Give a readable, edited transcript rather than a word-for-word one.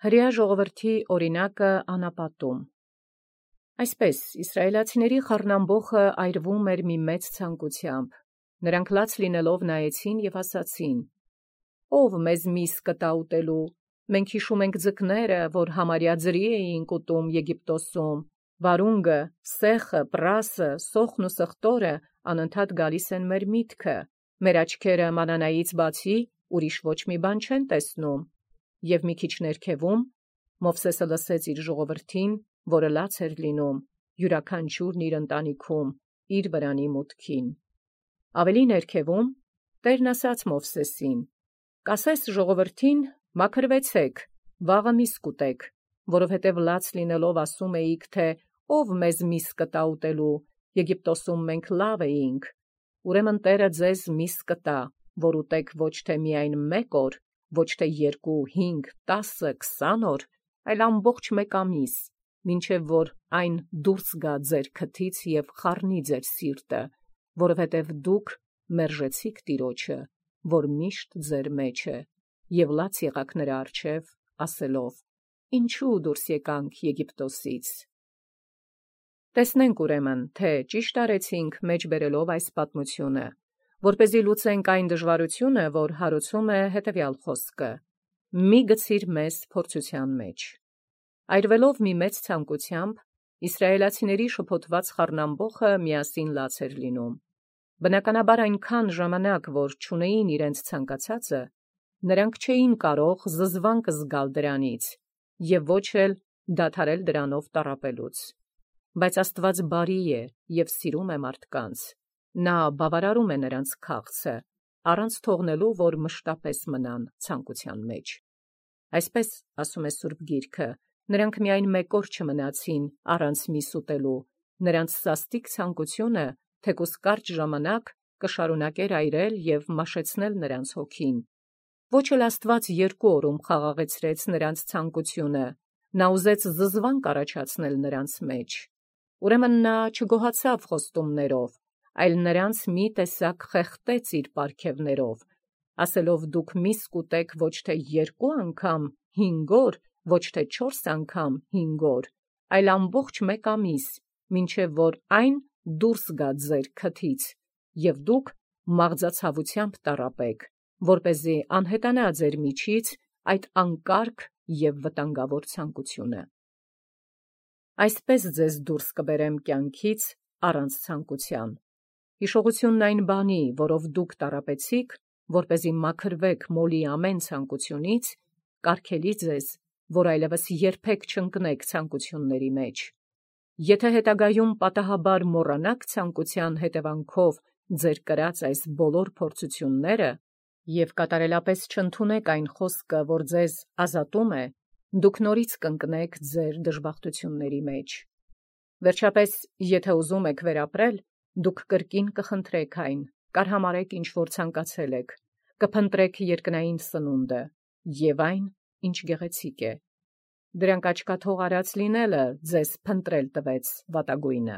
Հրեա ժողովրդի օրինակը անապատում։ Այսպես իսրայելացիների խառնամբոխը այրվում էր մի մեծ ցանկությամբ։ Նրանք լաց լինելով նայեցին եւ ասացին. «Ով մեզ միս կտա ուտելու։ Մենք հիշում ենք ձկները, որ համարյա ձրի էինք ուտում Եգիպտոսում, վարունգը, սեխը, պրասը, սոխն ու սխտորը անընդհատ գալիս են մեր միտքը, մեր աչքերը մանանայից բացի ուրիշ ոչ մի բան չեն տեսնում»։ Եվ մի քիչ ներքևում Մովսեսը լսեց իր ժողովրդին, որը լաց էր լինում, յուրաքանչյուրն իր ընտանիքում, իր վրանի մուտքին։ Ավելի ներքևում Տերն ասաց Մովսեսին. «Կասես ժողովրդին, մաքրվեցեք, վաղը միս կուտեք, որովհետև լաց լինելով ասում էիք, թե ով մեզ միս կտա ուտելու, Եգիպտոսում մենք լավ էինք։ Ուրեմն Տերը ձեզ միս կտա, որ ուտեք ոչ թե միայն 1 օր, ոչ թե 2, 5, 10, 20 օր, այլ ամբողջ 1 ամիս, մինչև որ այն դուրս գա ձեր քթից և խառնի ձեր սիրտը, որովհետև դուք մերժեցիք Տիրոջը, որ միշտ ձեր մեջ է, և լաց եղաք նրա առջև, ասելով. «Ինչու դուրս եկանք Եգիպտոսից»։ Տեսնենք ուրեմն, թե ճիշտ արեցինք մեջ բերելով այս պատմությունը, որպեսզի լուծենք այն դժվարությունը, որ հարուցում է հետևյալ խոսքը. «Մի գցիր մեզ փորձության մեջ»։ Այրվելով մի մեծ ցանկությամբ, իսրայելացիների շփոթված խառնամբոխը միասին լաց էր լինում։ Բնականաբար այնքան ժամանակ, որ չունեին իրենց ցանկացածը, նրանք չէին կարող զզվանք զգալ դրանից և ոչ էլ դադարել դրանով տառապելուց։ Բայց Աստված բարի է և սիրում է մարդկանց. նա բավարարում է նրանց քաղցը, առանց թողնելու, որ մշտապես մնան ցանկության մեջ։ Այսպես ասում է Սուրբ Գիրքը. նրանք միայն 1 օր չմնացին առանց միս ուտելու, նրանց սաստիկ ցանկությունը թեկուզ կարճ ժամանակ կշարունակեր այրել և մաշեցնել նրանց հոգին։ Ոչ էլ Աստված 2 օրում խաղաղեցրեց նրանց ցանկությունը, նա ուզեց զզվանք առաջացնել նրանց մեջ։ Ուրեմն նա չգոհացավ խոստումներով, այլ նրանց մի տեսակ խեղդեց իր պարգևներով, ասելով. «Դուք միս կուտեք ոչ թե 2 անգամ 5 օր, ոչ թե 4 անգամ 5 օր, այլ ամբողջ 1 ամիս, մինչև որ այն դուրս գա ձեր քթից, և դուք մաղձացավությամբ տառապեք, որպեսզի անհետանա ձեր միջից այդ անկարգ և վտանգավոր ցանկությունը։ Այսպես ձեզ դուրս կբերեմ կյանքից առանց ցանկության։ Հիշողությունն այն բանի, որով դուք տառապեցիք, որպեսզի մաքրվեք մոլի ամեն ցանկությունից, կարգելի ձեզ, որ այլևս երբեք չընկնեք ցանկությունների մեջ։ Եթե հետագայում պատահաբար մոռանաք ցանկության հետևանքով ձեր կրած այս բոլոր փորձությունները և կատարելապես չընդունեք այն խոսքը, որ ձեզ ազատում է, դուք նորից կընկնեք ձեր դժբախտությունների մեջ։ Վերջապես, եթե ուզում եք վերապրել, դուք կրկին կխնդրեք այն, կարհամարեք ինչ որ ցանկացել եք, կփնտրեք երկնային սնունդը և այն, ինչ գեղեցիկ է։ Դրանք աչքաթող արած լինելը ձեզ փնտրել տվեց վատագույնը։